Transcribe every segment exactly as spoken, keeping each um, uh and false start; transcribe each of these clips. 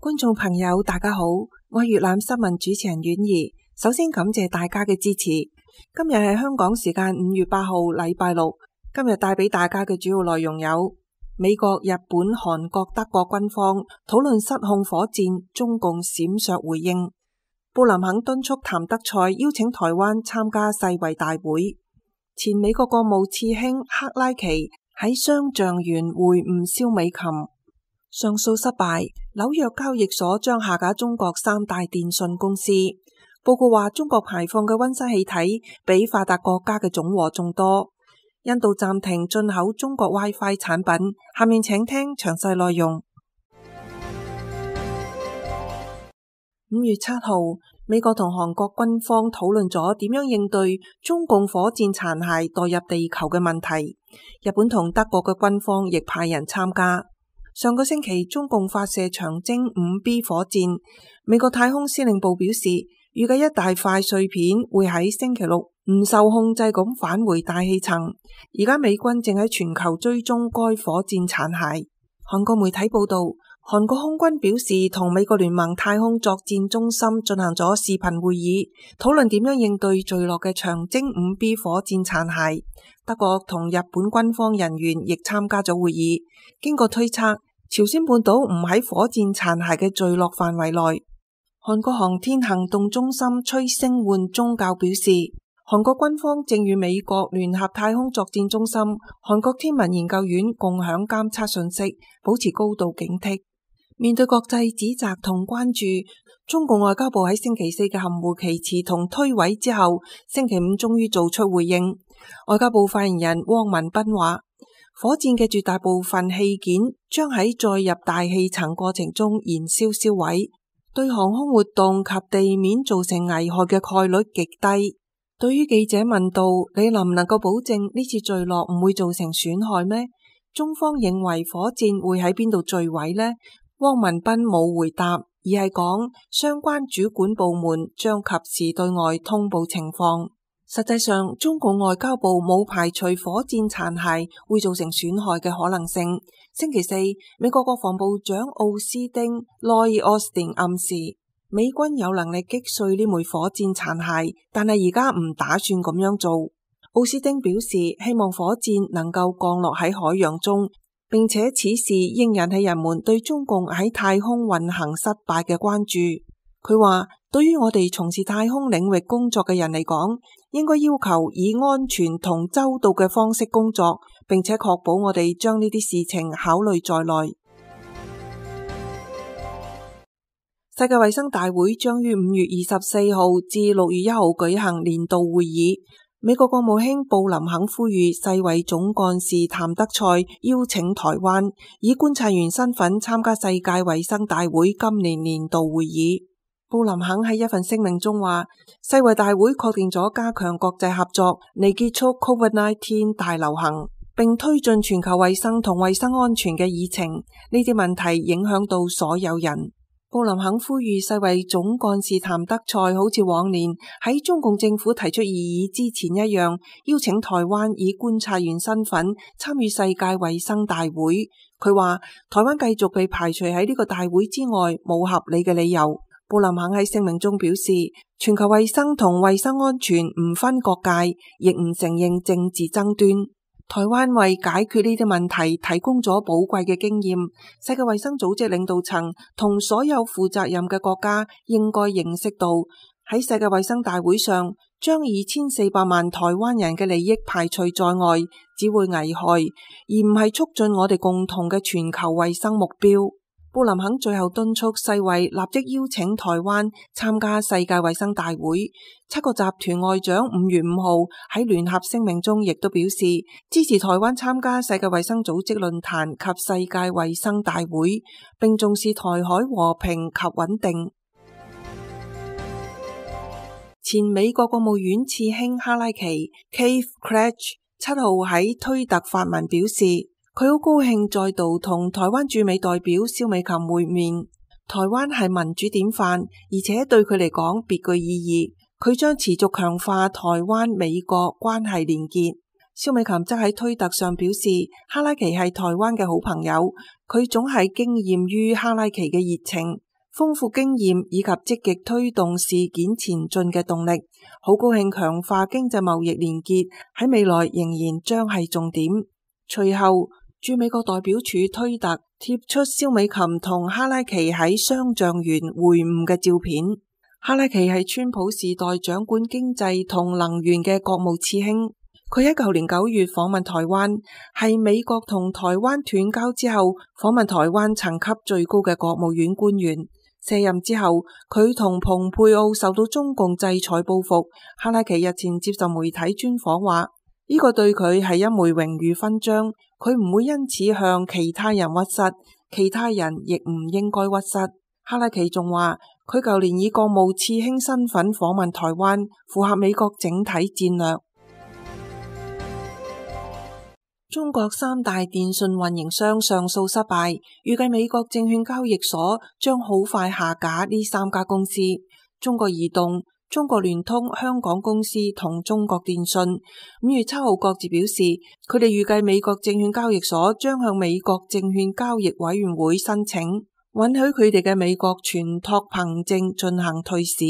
觀眾朋友大家好，我係粵覽新聞主持人婉儀。首先感謝大家嘅支持。今日係香港時間五月八號禮拜六。今日帶俾大家嘅主要內容有：美國、日本、韓國、德國軍方討論失控火箭，中共閃爍回應。布林肯敦促譚德塞邀請台灣參加世衛大會。前美國國務次卿克拉奇喺雙橡園會晤蕭美琴。上訴失敗，紐約交易所將下架中國三大電信公司。報告話中國排放嘅溫室氣體比發達國家嘅總和仲多。印度暫停進口中國 WiFi 產品。下面請聽詳細內容。五月七號，美國同韓國軍方討論咗點樣應對中共火箭殘骸墮入地球嘅問題。日本同德國嘅軍方亦派人參加。上個星期，中共發射長征五 B 火箭，美國太空司令部表示，預計一大塊碎片會喺星期六唔受控制咁返回大氣層。而家美軍正喺全球追蹤該火箭殘骸。韓國媒體報道，韓國空軍表示同美國聯盟太空作戰中心進行咗視頻會議，討論點樣應對墜落嘅長征五 B 火箭殘骸。德國同日本軍方人員亦參加咗會議。經過推測，朝鮮半島唔喺火箭殘骸嘅墜落範圍內。韓國航天行動中心崔勝煥宗教表示，韓國軍方正與美國聯合太空作戰中心、韓國天文研究院共享監測信息，保持高度警惕。面對國際指責同關注，中共外交部喺星期四嘅含糊其辭同推諉之後，星期五終於做出回應。外交部發言人汪文斌話，火箭嘅絕大部分器件將喺載入大氣層過程中燃燒燒毀，對航空活動及地面造成危害嘅概率極低。對於記者問到你能唔能夠保證呢次墜落唔會造成損害咩？中方認為火箭會喺邊度墜毀呢？汪文斌冇回答，而係講相關主管部門將及時對外通報情況。實際上，中共外交部冇排除火箭殘骸會造成損害嘅可能性。星期四，美國國防部長奧斯丁 Lloyd Austin 暗示美軍有能力擊碎呢枚火箭殘骸，但係而家唔打算咁樣做。奧斯丁表示希望火箭能夠降落喺海洋中，並且此事應引起人們對中共喺太空運行失敗嘅關注。佢話，對於我哋從事太空領域工作嘅人嚟講，應該要求以安全同周到嘅方式工作，並且確保我哋將呢啲事情考慮在內。世界衛生大會將於五月二十四號至六月一號舉行年度會議。美國國務卿布林肯呼籲世衛總幹事譚德塞邀請台灣以觀察員身份參加世界衛生大會今年年度會議。布林肯喺一份聲明中話，世衛大會確定咗加強國際合作嚟結束 COVID 十九 大流行，並推進全球衛生同衛生安全嘅議程。呢啲問題影響到所有人。布林肯呼籲世衛總幹事譚德塞好似往年喺中共政府提出異議之前一樣，邀請台灣以觀察員身份參與世界衛生大會。佢話台灣繼續被排除喺呢個大會之外，冇合理嘅理由。布林肯喺聲明中表示，全球衛生同衛生安全唔分國界，亦唔承認政治爭端。台灣為解決呢啲問題提供咗寶貴嘅經驗。世界衛生組織領導層同所有負責任嘅國家應該認識到，喺世界衛生大會上將二千四百萬台灣人嘅利益排除在外，只會危害，而唔係促進我哋共同嘅全球衛生目標。布林肯最後敦促世衛立即邀請台灣參加世界衛生大會。七個集團外長五月五號喺聯合聲明中亦都表示支持台灣參加世界衛生組織論壇及世界衛生大會，並重視台海和平及穩定。前美國國務院次卿哈拉奇 Keith Krach 七號喺推特發文表示，佢好高興再度同台灣駐美代表蕭美琴會面。台灣係民主典範，而且對佢嚟講別具意義。佢將持續強化台灣美國關係連結。蕭美琴則喺推特上表示，哈拉奇係台灣嘅好朋友，佢總係驚艷於哈拉奇嘅熱情。豐富經驗以及積極推動事件前進嘅動力。好高興強化經濟貿易連結喺未來仍然將係重點。隨後，駐美國代表處推特貼出蕭美琴同哈拉奇喺商醬園會晤嘅照片。哈拉奇係川普時代掌管經濟同能源嘅國務次卿。佢喺舊年九月訪問台灣，係美國同台灣斷交之後訪問台灣層級最高嘅國務院官員。卸任之後，佢同蓬佩奧受到中共制裁報復。哈拉奇日前接受媒體專訪話，呢個對佢係一枚榮譽勳章，佢唔會因此向其他人屈膝，其他人亦唔應該屈膝。哈拉奇仲話，佢舊年以國務次卿身份訪問台灣，符合美國整體戰略。中國三大電信運營商上訴失敗，預計美國證券交易所將好快下架呢三家公司：中國移動、中國聯通香港公司同中國電信。五月七號各自表示，佢哋預計美國證券交易所將向美國證券交易委員會申請，允許佢哋嘅美國存託憑證進行退市。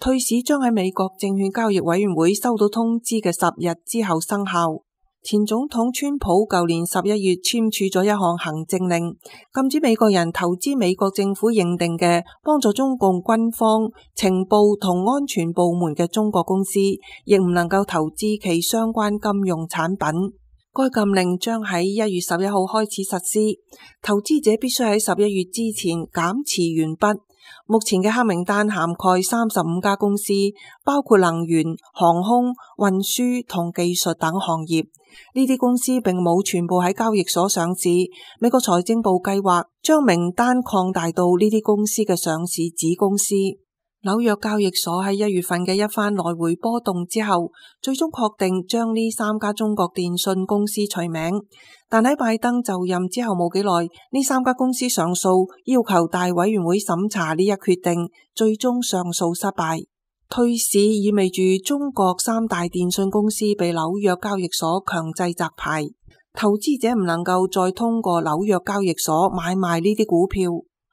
退市將喺美國證券交易委員會收到通知嘅十日之後生效。前總統川普舊年十一月簽署咗一項行政令，禁止美國人投資美國政府認定嘅幫助中共軍方、情報同安全部門嘅中國公司，亦唔能夠投資其相關金融產品。該禁令將喺一月十一號開始實施，投資者必須喺十一月之前減持完畢。目前嘅黑名單涵蓋三十五家公司，包括能源、航空、運輸同技術等行業。呢啲公司並冇全部喺交易所上市。美國財政部計劃將名單擴大到呢啲公司嘅上市子公司。紐約交易所喺一月份嘅一番來回波動之後，最終確定將呢三家中國電信公司除名。但喺拜登就任之後冇幾耐，呢三家公司上訴，要求大委員會審查呢一決定，最終上訴失敗。退市意味住中國三大電信公司被紐約交易所強制摘牌，投資者唔能夠再通過紐約交易所買賣呢啲股票。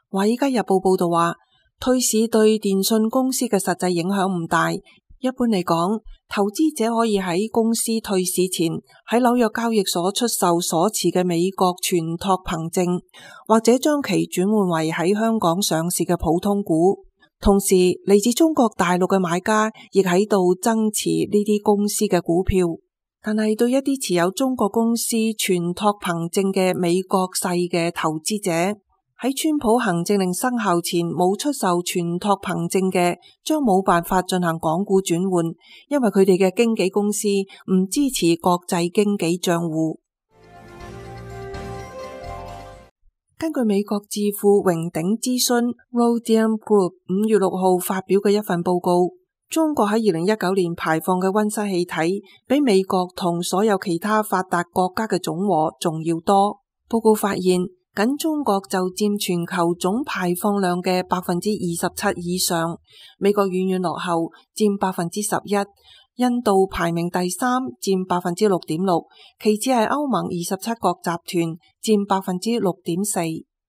華爾街日報報道話，退市對電信公司嘅實際影響唔大。一般嚟講，投資者可以喺公司退市前喺紐約交易所出售所持嘅美國存託憑證，或者將其轉換為喺香港上市嘅普通股。同時，嚟自中國大陸嘅買家亦喺度增持呢啲公司嘅股票。但係對一啲持有中國公司存託憑證嘅美國細嘅投資者，喺川普行政令生效前冇出售存託憑證嘅，將冇辦法進行港股轉換，因為佢哋嘅經紀公司唔支持國際經紀賬戶。根據美國智庫榮鼎諮詢 Rhodium Group 五月六號發表嘅一份報告，中國喺二零一九年排放嘅溫室氣體比美國同所有其他發達國家嘅總和仲要多。報告發現，僅中國就佔全球總排放量嘅百分之二十七以上，美國遠遠落後，佔百分之十一。印度排名第三，佔百分之六點六，其次係歐盟二十七國集團，佔百分之六點四。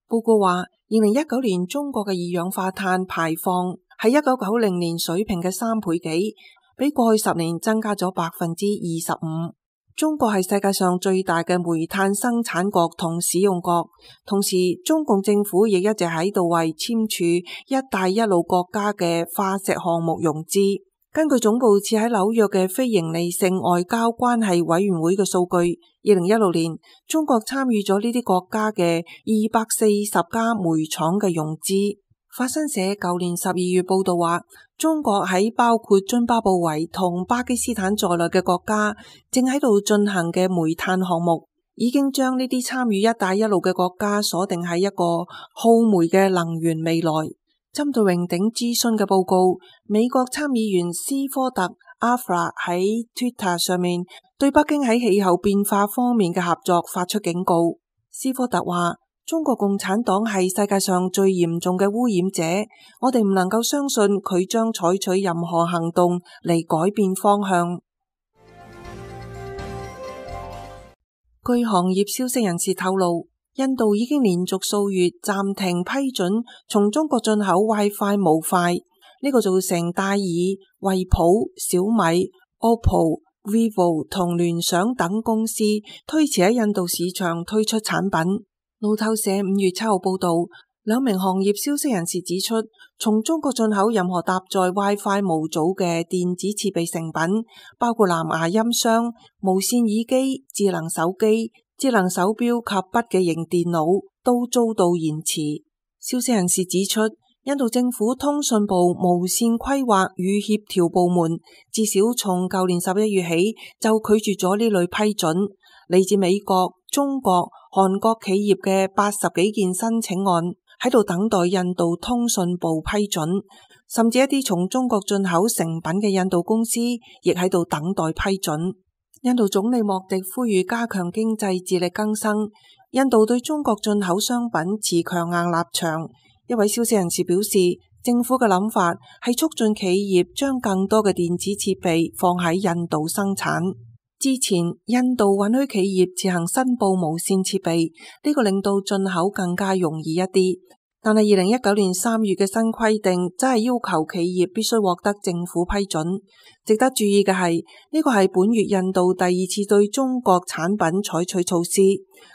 報告話，二零一九年中國嘅二氧化碳排放係一九九零年水平嘅三倍幾，比過去十年增加咗百分之二十五。中國係世界上最大嘅煤炭生產國同使用國，同時中共政府亦一直喺度為簽署一帶一路國家嘅化石項目融資。根據總部設喺紐約嘅非營利性外交關係委員會嘅數據，二零一六年中國參與咗呢啲國家嘅二百四十家煤廠嘅融資。法新社舊年十二月報道話，中國喺包括津巴布韋同巴基斯坦在內嘅國家正喺度進行嘅煤炭項目，已經將呢啲參與一帶一路嘅國家鎖定喺一個耗煤嘅能源未來。針對榮鼎諮詢嘅報告，美國參議員斯科特阿弗拉喺 Twitter 上面對北京喺氣候變化方面嘅合作發出警告。斯科特話，中國共產黨係世界上最嚴重嘅污染者，我哋唔能夠相信佢將採取任何行動嚟改變方向。據行業消息人士透露，印度已經連續數月暫停批准從中國進口 WiFi 模塊，呢個造成戴爾、惠普、小米、O P P O、Vivo 同聯想等公司推遲喺印度市場推出產品。路透社五月七號報道，兩名行業消息人士指出，從中國進口任何搭載 WiFi 模組嘅電子設備成品，包括藍牙音箱、無線耳機、智能手機、智能手錶及筆記型電腦，都遭到延遲。消息人士指出，印度政府通訊部無線規劃與協調部門至少從舊年十一月起就拒絕咗呢類批准。嚟自美國、中國、韓國企業嘅八十幾件申請案喺度等待印度通訊部批准，甚至一啲從中國進口成品嘅印度公司亦喺度等待批准。印度總理莫迪呼籲加強經濟自力更生，印度對中國進口商品持強硬立場。一位消息人士表示，政府嘅諗法係促進企業將更多嘅電子設備放喺印度生產。之前印度允許企業自行申報無線設備，呢個令到進口更加容易一啲。但係二零一九年三月嘅新規定，則係要求企業必須獲得政府批准。值得注意嘅係，呢個係本月印度第二次對中國產品採取措施。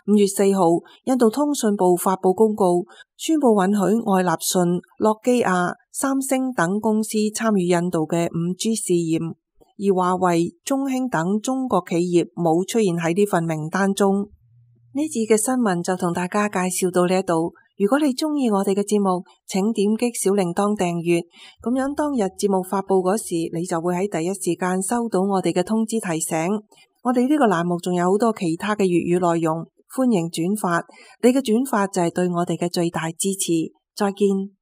五月四號，印度通訊部發布公告，宣布允許愛立信、諾基亞、三星等公司參與印度嘅五 G 試驗。而華為、中興等中國企業冇出現喺呢份名單中。呢次嘅新聞就同大家介紹到呢一度。如果你中意我哋嘅節目，請點擊小鈴鐺訂閱，咁樣當日節目發布嗰時，你就會喺第一時間收到我哋嘅通知提醒。我哋呢個欄目仲有好多其他嘅粵語內容，歡迎轉發，你嘅轉發就係對我哋嘅最大支持。再見。